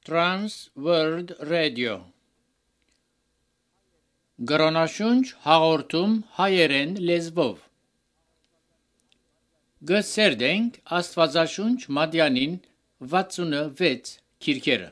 Trans World Radio Գրոնաշունչ հաղորդում հայերեն լեզվով Գսերդենք Աստվածաշունչ Մատյանին 66 քիրքերը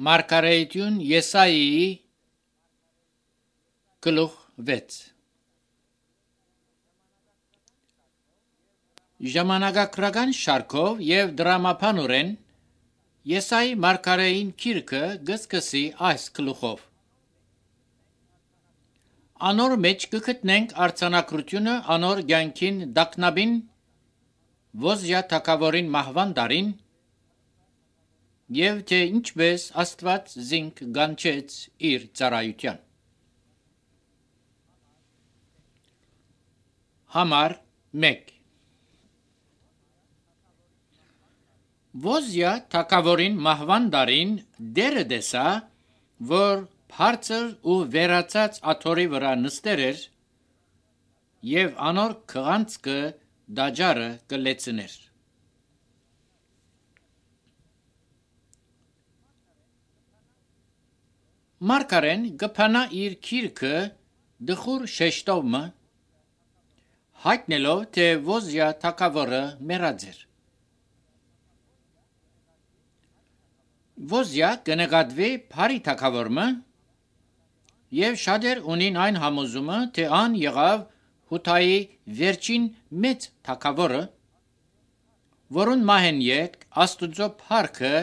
Մարգարեություն Եսայիի գլուխ 6 Ժամանակագրական շարքով եւ դրամապանորեն Եսայի մարգարեին քիրքը գսկսի այս գլուխով Անոր մեջ կգտնենք արձանագրությունը անոր ցանկին դակնաբին Ոզիա թագավորին մահվան դարին Եվ թե ինչպես Աստված զինք գանչեց իր ծառայության Համար 1 Ոզիա թագավորին մահվան դարին դերը դեսա որ բարձր ու վերացած աթոռի վրա նստեր էր եւ անոր քղանցքը դաջարը կլեցներ Մարգարեն գփանա իր քիրքը դխուր շեշտովը հայտնելով թե Ոզիա թագավորը մեռած էր Ոզիա կնկատվի բարի թագավորը եւ շատեր ունին այն համոզումը թե ան եղավ Հութայի վերջին մեծ թագավորը որուն մահեն յետ Աստուծո փառքը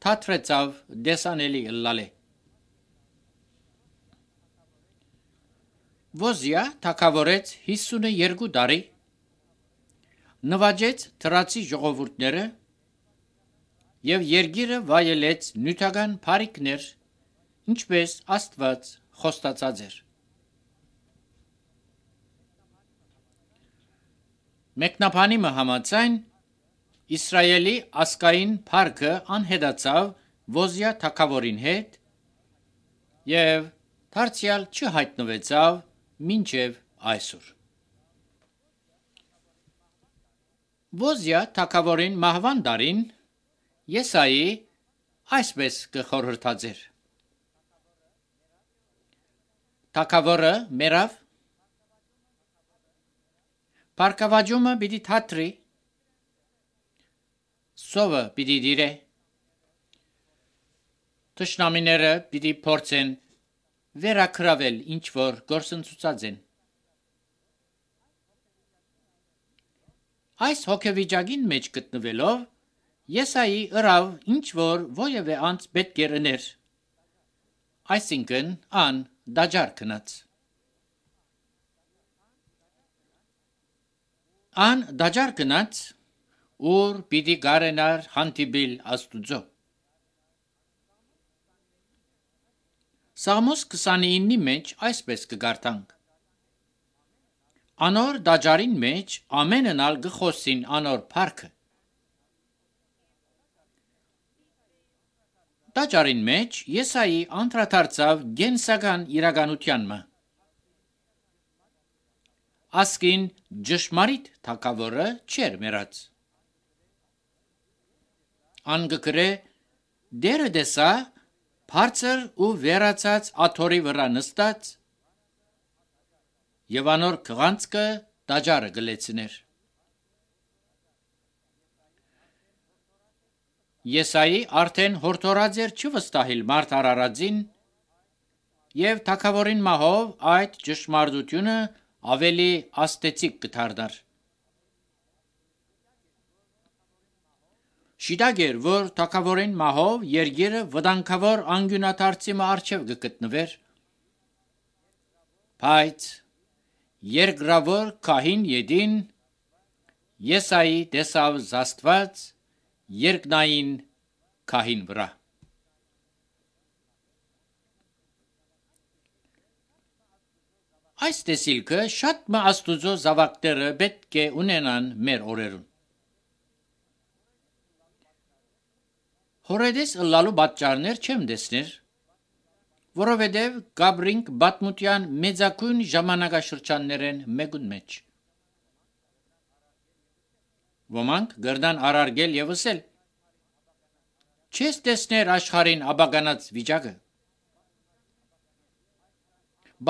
թատրեցավ դեսանելի ըլլալե։ Ոզիա թագավորեց 52 տարի, նվաճեց թրացի ժողովուրդները և երկիրը վայելեց նյութական փառիքներ, ինչպես Աստված խոստացած էր։ Մեկնաբանիմը համաձայն Իսրայելի ասկային փառքը անհետացավ Ոզիա թագավորին հետ և դարձյալ չհայտնվեցավ մինչև այսօր։ Ոզիա թագավորին մահվան տարին Եսայի այսպես կխորհրդածեր. Թագավորը մեռավ, փառքավաճումը պիտի թատրի, սովը պիտի դիրե, թշնամիները պիտի փորձեն վերակրավել ինչ որ գործընթացած են։ Այս հոգեվիճակին մեջ գտնվելով Եսայի ըրավ ինչ որ ովևէ անձ պետք էր ուներ, այսինքն ան դաջար գնաց։ Ան դաջար գնաց, ուր պիտի գարենար հանդիպիլ Աստուծո։ Սաղմոս 29-ի մեջ այսպես կգարտանք. Անոր դաջարին մեջ ամենն ալ գխոսին անոր փառքը։ Դաջարին մեջ Եսայի անդրադարձավ գենսական իրականությանմը։ Ասկին ճշմարիտ թագավորը չէր մեռած։ Ան գկրե դերը դեսա բարձր ու վերացած աթորի վրա նստած և անոր քղանցքը դաջարը գլեցներ։ Եսայի արդեն հորդորած էր չվստահիլ մարդ արարածին և թագավորին մահով այդ ճշմարտությունը ավելի աստեցիկ կդառնար։ Շիտակ էր, որ թագավորին մահով երկիրը վտանգավոր անկյունադարձի առջև կգտնվեր, բայց երկրավոր քահին յետին Եսայի տեսավ զաստված երկնային քահին վրա։ Այս տեսիլքը շատ մը Աստուծո զավակները պետք է ունենան մեր օրերուն։ Հորեդես ըլլալու պատճառներ չեմ տեսներ, որովհետև գաբրինք պատմության մեծագույն ժամանակաշրջաններեն մեկուն մեջ։ Ոմանք գրնան արարգել և ասել. չես տեսներ աշխարհին աբականած վիճակը։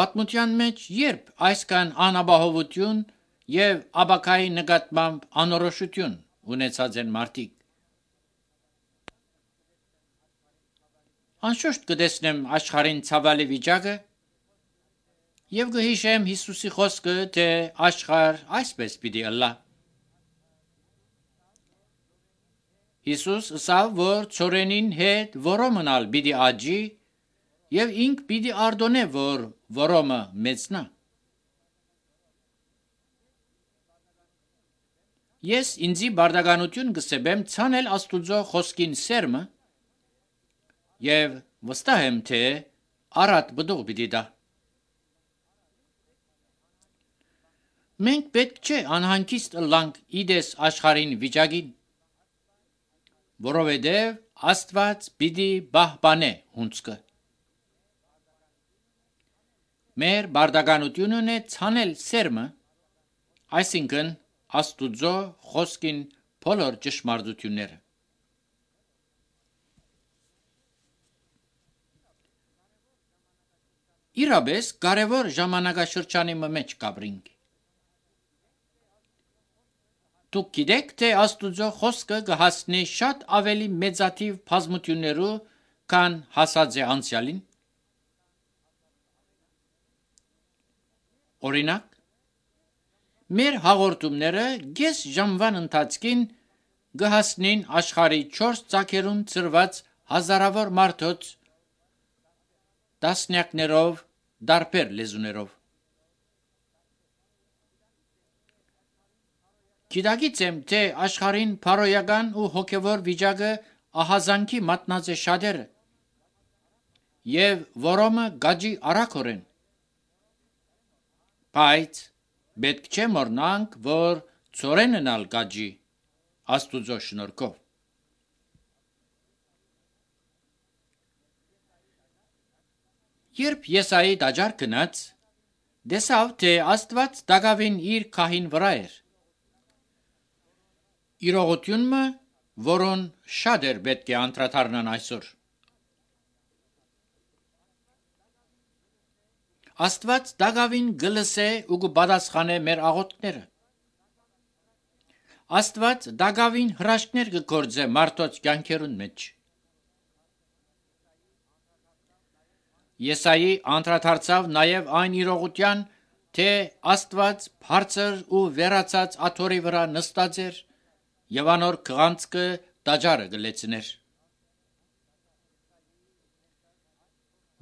Պատմության մեջ երբ այսքան անապահովություն և աբակայի նկատմամբ անորոշություն ունեցած են մարդիկ։ Անշուշտ կտեսնեմ աշխարհին ցավալի վիճակը և կհիշեմ Հիսուսի խոսքը, թե աշխարհ այսպես պիտի ըլլա։ Հիսուս ասավ, որ ցորենին հետ որոմնալ պիտի աճի և ինք պիտի արտոնե, որ որոմը մեծնա։ Ես ինձի բարդականություն կսեպեմ ցանել Աստուծո խոսքին սերմը և վստահ եմ, թե առատ բդուղ պիտի տա։ Մենք պետք չէ անհանգիստ ըլլանք իդես աշխարհին վիճակին, որովհետև Աստված պիտի պահպանե հունձկը։ Մեր բարդականությունն է ցանել սերմը, այսինքն Աստուծո խոսքին բոլոր ճշմարտությունները։ Իրապես կարևոր ժամանակաշրջանի մեջ կապրինք։ Դուք գիտեք, թե Աստուծո խոսքը կհասնի շատ ավելի մեծաթիվ բազմություններու, քան հասած է անցյալին։ Օրինակ, մեր հաղորդումները կես ժամվան ընթացքին կհասնին աշխարհի 4 ծագերուն ծրված հազարավոր մարդոց տասնյակներով դարբեր լեզուներով։ Գիտակից եմ, թե աշխարհին փարոյական ու հոգևոր վիճակը ահազանգի մատնած է շատերը, եւ որոմը գաջի արագորեն, բայց պետք չէ մոռնանք, որ ծորեննալ գաջի Աստուծո շնորհքով։ Երբ Եսայի տաճար գնաց, տեսավ, թե Աստված Դագավին իր քահին վրա էր։ Իրողությունը, որոն շատ էր պետք է անդրադառնան այսօր։ Աստված Դագավին գլսե ու կպատասխանե մեր աղոթքները։ Աստված Դագավին հրաշքներ կգործե մարդոց կյանքերուն մեջ։ Եսայի անդրադարձավ նաև այն իրողության, թե Աստված բարձր ու վերացած աթոռի վրա նստած էր եւ անոր քղանցքը տաճարը գլեցներ։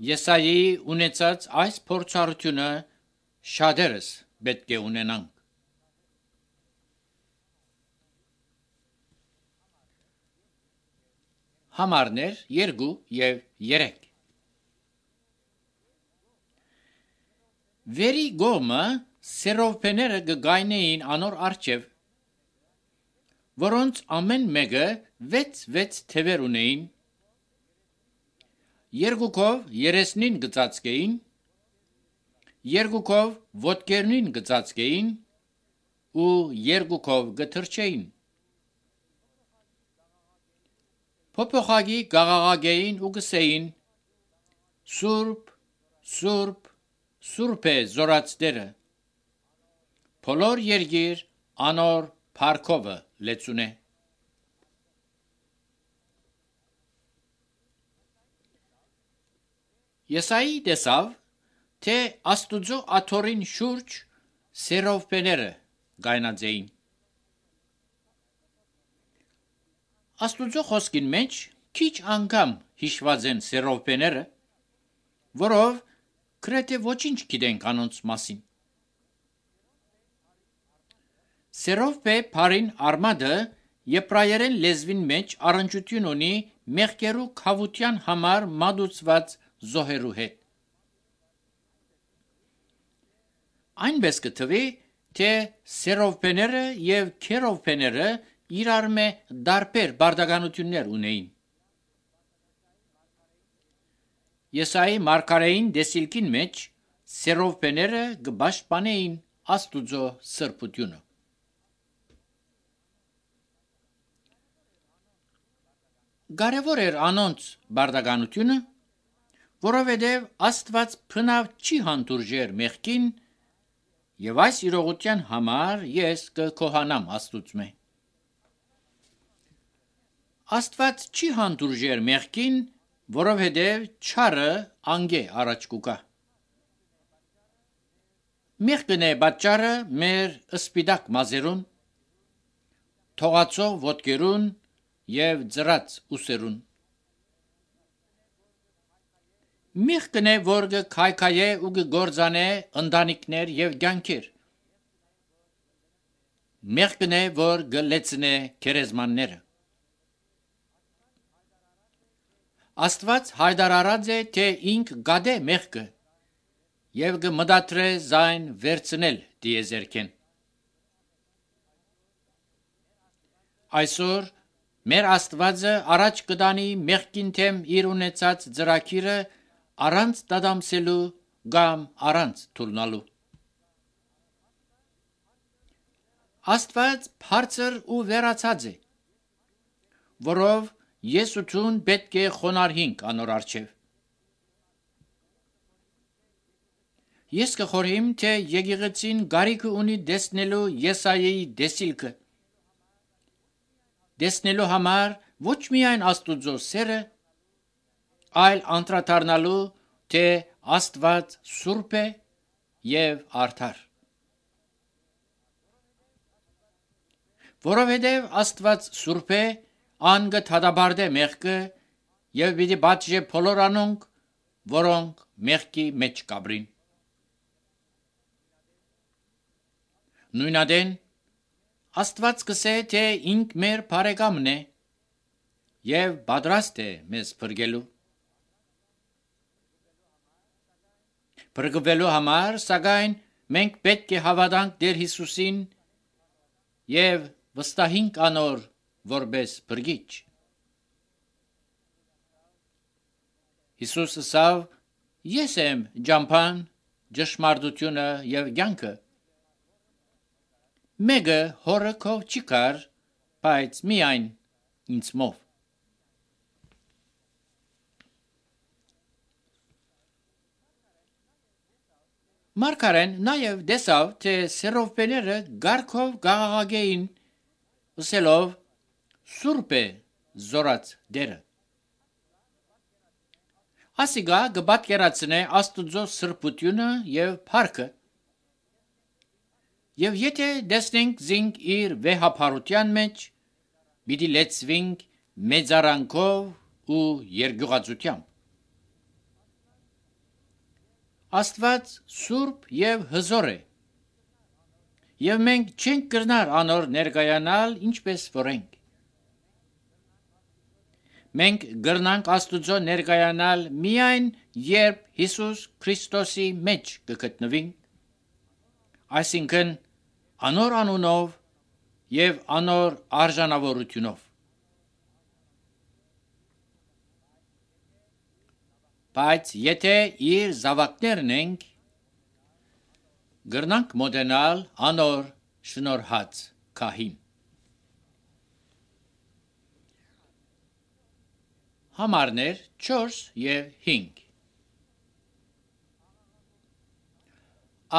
Եսայի ունեցած այս փորձառությունը շատերս պետք է ունենանք։ Համարներ 2 եւ 3 Վերի գոմը սերովպեները գգայնեին անոր արջև, որոնց ամեն մեկը 6 թևեր ունեին, երկուքով 39 գծածկեին, երկուքով ոտքերնին գծածկեին ու երկուքով գթրջեին։ Փոփոխագի գաղաղագեին ու գսեին. Սուրբ, Սուրբ, Սուրբ է զորացները, բոլոր երգիր անոր փառքովը լեցուն է։ Եսայի տեսավ, թե Աստուծո աթոռին շուրջ սերովպեները գայնած էին։ Աստուծո խոսքին մեջ քիչ անգամ հիշված են սերովպեները, որով գրեթե ոչինչ գիտենք անոնց մասին։ Սերովպե բառին արմատը եբրայերեն լեզվին մեջ առնչություն ունի մեղքերու քավության համար մատուցված զոհերու հետ։ Այնպես կթվի, թե սերովպեները եւ քերովպեները իրար մե դարբեր բարդականություններ ունեին։ Եսայի մարգարեին դեսիլքին մեջ սերովպեները կպաշտպանեին Աստուծո սրբությունը։ Կարևոր էր անոնց բարդականությունը, որովհետև Աստված փնավ չի հանդուրժեր մեղքին, եւ այս իրողության համար ես կկոհանամ Աստուծմե։ Աստված չի հանդուրժեր մեղքին, որովհետև չարը անգե առաջ կուկա։ Մեղքն է պատճառը մեր սպիտակ մազերուն, թողացող ոտքերուն եւ ծրած ուսերուն։ Մեղքն է, որ կքայքայե ու կգործանե ընտանիքներ եւ կյանքեր։ Մեղքն է, որ կլեցնե քերեզմանները։ Աստված հայտարարած է, թե ինք գադե մեղքը եւ կմտադրե զայն վերցնել դիեզերքեն։ Այսօր մեր Աստվածը առաջ կտանի մեղքին թեմ իր ունեցած ծրագիրը առանց դադամսելու կամ առանց թուլնալու։ Աստված բարձր ու վերացած է, որով ես ու ցուն պետք է խոնարհինք անոր առջև։ Ես կխորհեմ, թե եկեղեցին գարիքը ունի դեսնելու Եսայայի դեսիլքը։ Դեսնելու համար ոչ միայն Աստուծո սերը, այլ անդրադառնալու, թե Աստված սուրբ է եւ արդար։ Որովհետև Աստված սուրբ է, ան կդադարբարտե մեղքը եւ պիտի բացժե բոլոր անոնք, որոնք մեղքի մեջ կաբրին։ Նույնադեն Աստված կսե, թե ինք մեր բարեկամն է եւ պատրաստ է մեզ փրկելու։ Փրկվելու համար, սակայն, մենք պետք է հավատանք Տեր Հիսուսին եւ վստահենք անոր որպես փրկիչ։ Հիսուսը ասավ. Ես եմ ճամփան, ճշմարտությունը եւ կյանքը։ Մեկը հորը քով չի կար, բայց միայն ինձմով։ Մարգարեն նաև դեսավ, թե սերովպեները գարքով գաղաղագեին, ասելով սուրբ է զորած դերը։ Ասիգա գբատկերացնե Աստուծո սրբությունը եւ փառքը։ Եվ եթե դեսնենք զինք իր վեհապարության մեջ, պիտի լեցվենք մեծարանքով ու երկյուղածությամբ։ Աստված սուրբ եւ հզոր է, եւ մենք չենք կրնար անոր ներկայանալ ինչպես որենք։ Մենք գրնանք Աստուծո ներկայանալ միայն երբ Հիսուս Քրիստոսի մեջ կգտնվենք, այսինքն անոր անունով եւ անոր արժանավորությունով։ Բայց եթե իր զավակներն ենք, գրնանք մոտենալ անոր շնորհած քահին։ Համարներ 4 եւ 5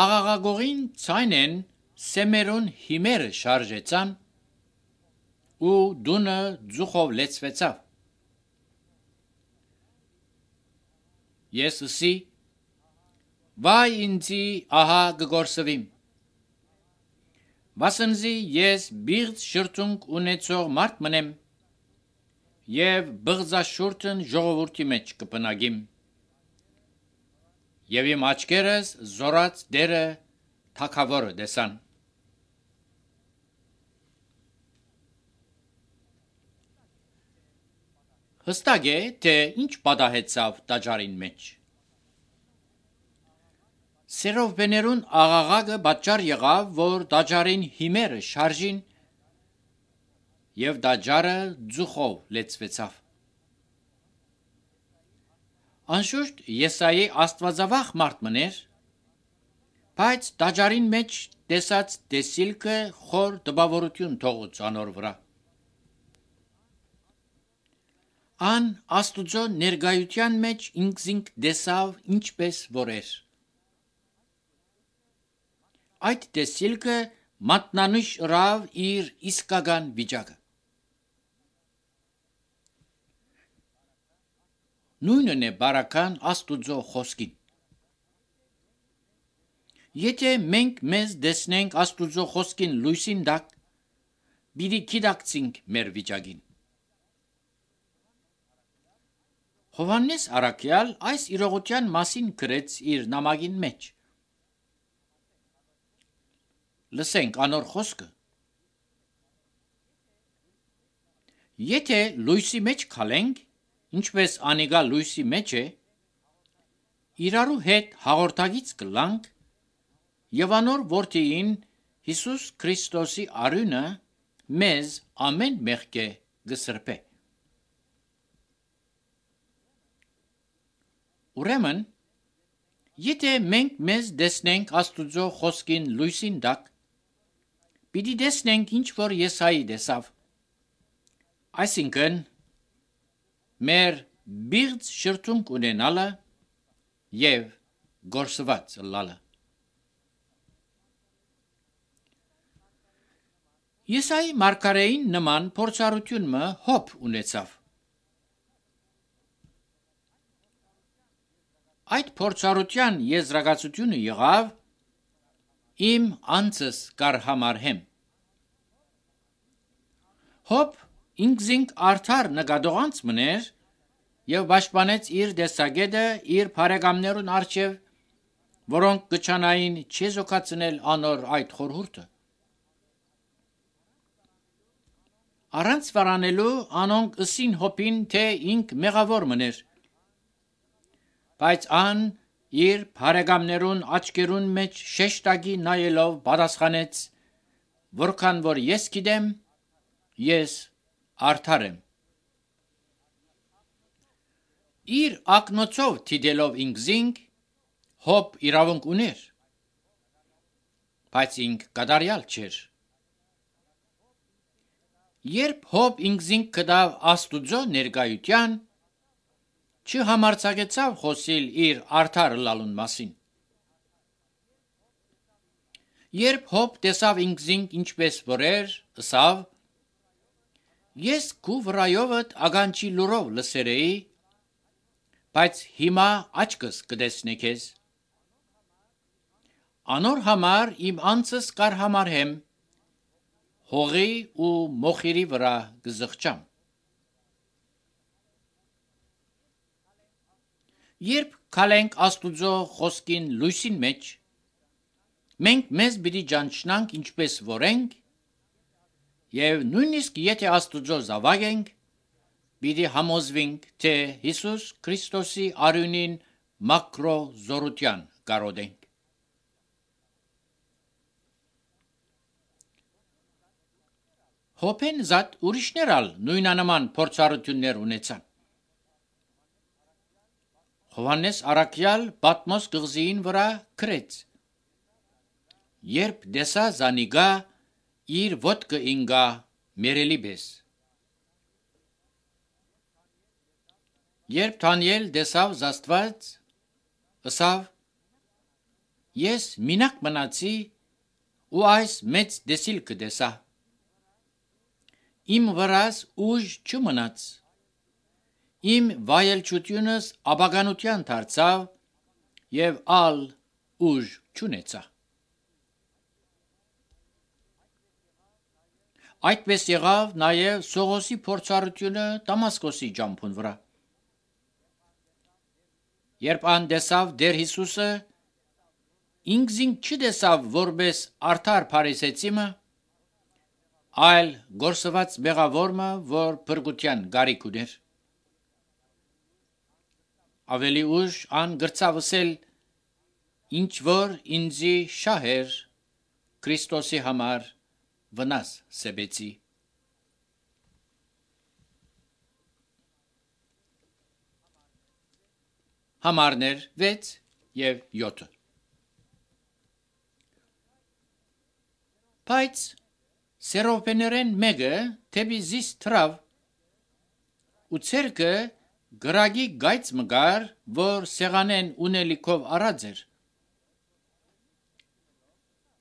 Աղաղագողին ցայնեն սեմերուն հիմերը շարժեցան ու դունը ձուխով լեցվեցավ։ Ես ասի, վայ ինձի ահա գգորսվիմ։ Վասնզի ես բիղծ շրթունք ունեցող մարդ մնեմ եւ բղձաշուրթն ժողովրդի մեջ կպնագիմ։ Եվ իմ աչքերս զորած դերը թագավորը դեսան։ Հստակ է, թե ինչ պատահեցավ տաճարին մեջ։ Սերովպեներուն աղաղակը պատճառ եղավ, որ տաճարին հիմերը շարժին եւ տաճարը ձուխով լեցվեցավ։ Անշուշտ Եսայի աստվածավախ մարդ մներ, բայց տաճարին մեջ տեսած տեսիլքը խոր տպավորություն թողոց անոր վրա։ Ան Աստուծո ներկայության մեջ ինքզինք դեսավ ինչպես որեր։ Այդ տեսիլքը մատնանշ ըրավ իր իսկական վիճակը։ Նույնն է բարական Աստուծո խոսքին։ Եթե մենք մեզ դեսնենք Աստուծո խոսքին լույսին տակ, պիտի գիտակցենք մեր վիճակին։ Հովհաննես Առաքյալ այս իրողության մասին գրեց իր նամակին մեջ։ Լսենք անոր խոսքը։ Եթե լույսի մեջ քալենք, ինչպես անիգա լույսի մեջ է, իրարու հետ հաղորդագից կլանք եւ անոր որդիին Հիսուս Քրիստոսի արյունը մեզ ամեն մեղքե գսրբե։ Ուրեմն, եթե մենք մեզ դեսնենք Աստուծո խոսքին լույսին տակ, պիտի դեսնենք ինչ որ Եսայի դեսավ։ Այսինքն, մեր բիղծ շրթունք ունենալը եւ գործված լալը։ Եսայի մարգարեին նման փորձառությունը հոբ ունեցավ։ Այդ փորձառության եզրակացությունը եղավ իմ անձս կարհամարհեմ։ Հոբ ինքզինք արդար նկատողանց մներ եւ պաշտպանեց իր դեսագետը իր բարեկամներուն առջև, որոնք կչանային չեզոքացնել անոր այդ խորհուրդը։ Առանց վարանելու անոնք ըսին հոպին, թե ինք մեղավոր մներ, բայց ան իր բարեկամներուն աչքերուն մեջ շեշտակի նայելով պատասխանեց, որքան որ ես գիտեմ, ես արդար եմ։ Իր ակնոցով թիդելով ինքզինք, հոբ իրավունք ուներ, բայց ինք կատարյալ չէր։ Երբ հոբ ինքզինք կդավ աստուծո ներկայության, չհամարձակեցավ խոսիլ իր արդար լալուն մասին։ Երբ հոբ տեսավ ինքզինք ինչպես որ էր, ըսավ. ես քու վրայովդ ագանչի լուրով լսերեի, բայց հիմա աչքս կտեսնե քեզ։ Անոր համար իմ անձս կարհամարհեմ, հողի ու մոխիրի վրա կզղջամ։ Երբ քալենք աստուծո խոսքին լույսին մեջ, մենք մեզ պիտի ճանչնանք ինչպես որ ենք, եւ նույնիսկ եթե աստուծո զավակ ենք, պիտի համոզվենք, թե Հիսուս Քրիստոսի արյունին մակրո զորության կարոտ ենք։ Հոբեն զատ ուրիշներ ալ նույնանման փորձառություններ ունեցան։ Հովհաննես Արաքյալ Պատմոս կղզին վրա գրեց. երբ դեսա զանիգա իր ոտքը ինգա մերելի պես։ Երբ Դանիել դեսավ Աստված, ըսավ. ես մինակ մնացի ու այս մեծ դեսիլքը դեսա։ Իմ վրաս ուժ չմնաց, իմ վայելչությունս աբականության դարձավ եւ ալ ուժ չունեցա։ Այդպես եղավ նաեւ Սողոսի փորձառությունը Դամասկոսի ջամփուն վրա։ Երբ ան դեսավ Տեր Հիսուսը, ինքզինք չդեսավ որպես արդար փարիսեցիմը, այլ գործված մեղավորը, որ փրկության գարիք ուներ։ Ավելի ուշ ան գրծավսել, ինչ որ ինձի շահեր Քրիստոսի համար վնաս սեբեցի։ Համարներ 6 եւ 7։ Բայց սերոպեներեն մեկը թեպի զիս թրավ ու ցերկը գրագի գայծ մգար, որ սեղանեն ունելիքով առած էր։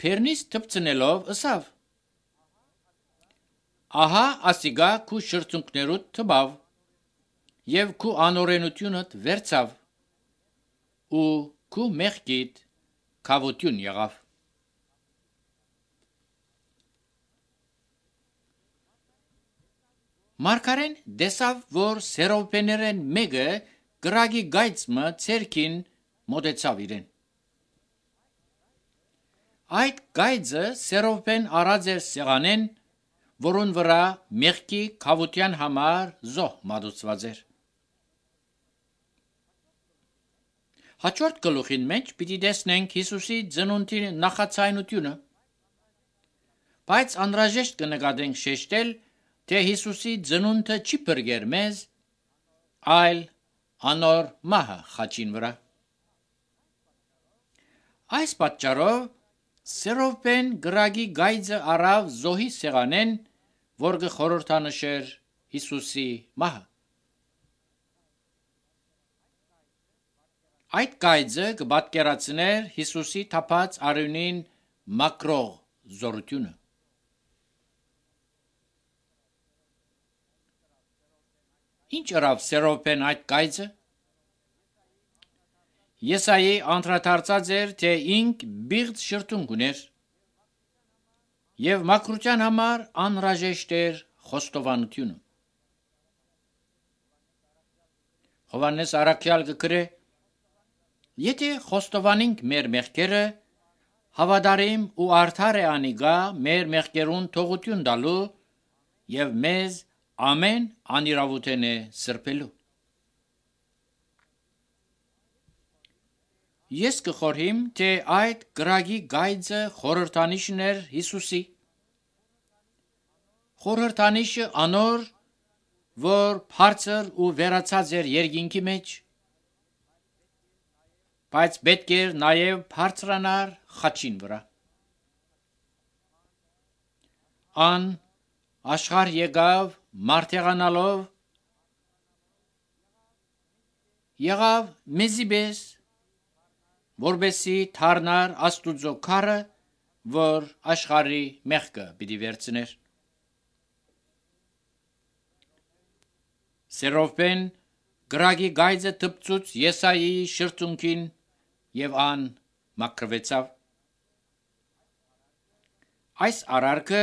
Փերնից թփցնելով ըսավ. ահա ասիգա քու շրթունքներուդ թբավ եւ քու անօրենությունդ վերցավ ու քու մեղքիդ քավություն եղավ։ Մարգարեն դեսավ, որ սերոպեներեն մեկը գրագի գայծմը ցերքին մոտեցավ իրեն։ Այդ գայծը սերոպեն առած էր սեղանեն, որուն վրա մեղքի քավության համար զոհ մատուցված էր։ Հաջորդ գլուխին մեջ պիտի տեսնենք Հիսուսի ծնունդի նախացայնությունը, բայց անհրաժեշտ կնկատենք շեշտել, թե Հիսուսի ծնունդը չի բրգեր մեզ, այլ անոր մահը խաչին վրա։ Այս պատճառով սերոպեն գրագի գայծը առավ զոհի սեղանեն, որ կխորհրդանշեր Հիսուսի մահը։ Այդ գայծը կպատկերացներ Հիսուսի թափած արյունին մակրող զորությունը։ Ինչ արավ սերոպեն այդ գայծը։ Եսայի անդրադարձած էր, թե ինք բիղծ շրթունք ուներ եւ մաքրության համար անհրաժեշտ էր խոստովանությունը։ Հովանես Արաքյալ կգրե. Եթե խոստովանենք մեր մեղքերը, հավատարիմ ու արդար է անիգա մեր մեղքերուն թողություն տալու եւ մեզ ամեն անիրավութեն է սրբելու։ Ես կխորհիմ, թե այդ գրագի գայձը խորհրդանիշն էր Հիսուսի։ Խորհրդանիշը անոր, որ բարձր ու վերացած էր երկինքի մեջ, բայց պետք էր նաև բարձրանար խաչին վրա։ Ան աշխարհ եկավ մարդեղանալով, եղավ մեզի պես, որբեսի թարնար Աստուծո քարը, որ աշխարհի մեղքը պիտի վերցներ։ Սերովբեն գրագի գայձը տպծուց Եսայիի շրթունքին եւ ան մաքրվեցավ։ Այս արարքը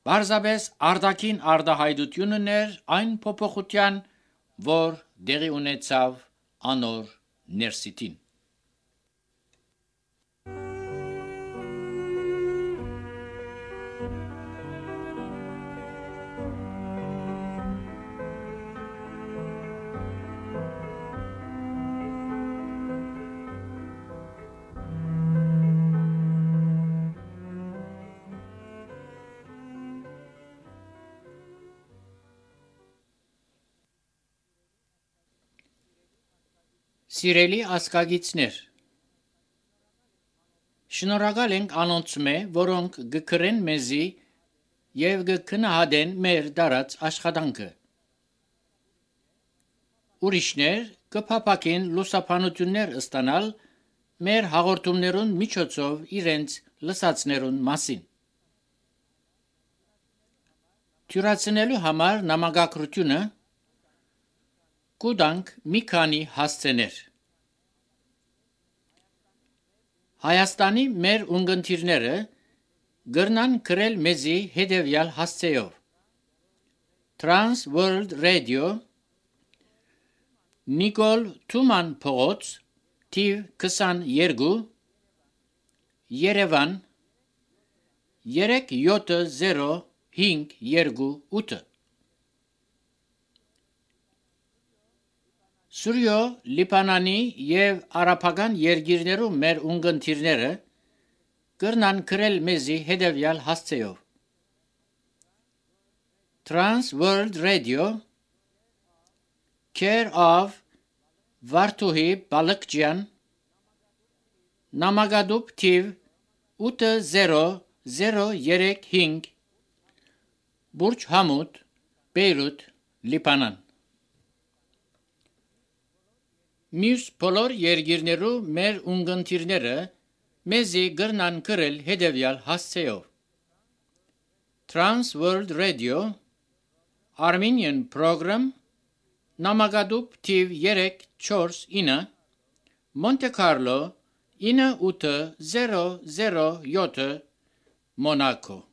բարձաբես արդակին արդահայտությունն էր այն փոփոխության, որ դեղի ունեցավ անոր ներսիտին։ Սիրելի ասկագիցներ, շնորհակալ ենք անոնցմե, որոնք գկրեն մեզի եւ գքնահատեն մեր դարած աշխատանքը։ Ուրիշներ կփափակեն լուսապանություններ ստանալ մեր հաղորդումներուն միջոցով իրենց լսածներուն մասին։ Թյուրացնելու համար նամակագրությունը կուտանք մի քանի հասցեներ։ Հայաստանի մեր ունգընտիրները գրնան գրել մեզի հետևյալ հասցեով. Trans World Radio, Նիկոլ Թուման փողոց, թիվ 22, Երևան 37058 Սուրյո Լիբանանի եւ արաբական երկիրներում մեր ունգընտիրները կրնան գրել մեզի հետևյալ հասցեով. Trans World Radio, Care of Վարդուհի Բալկջյան, Նամակադուբ թիվ 80035, Բուրջ Համուդ, Բեյրութ, Լիբանան։ Մյուս բոլոր երկիրներու մեր ունգընտիրները մեզի գրնան գրել հետևյալ հասցեով. Trans World Radio, Armenian Program, Նամակադուբ թիվ 349, Monte Carlo 98007, Monaco։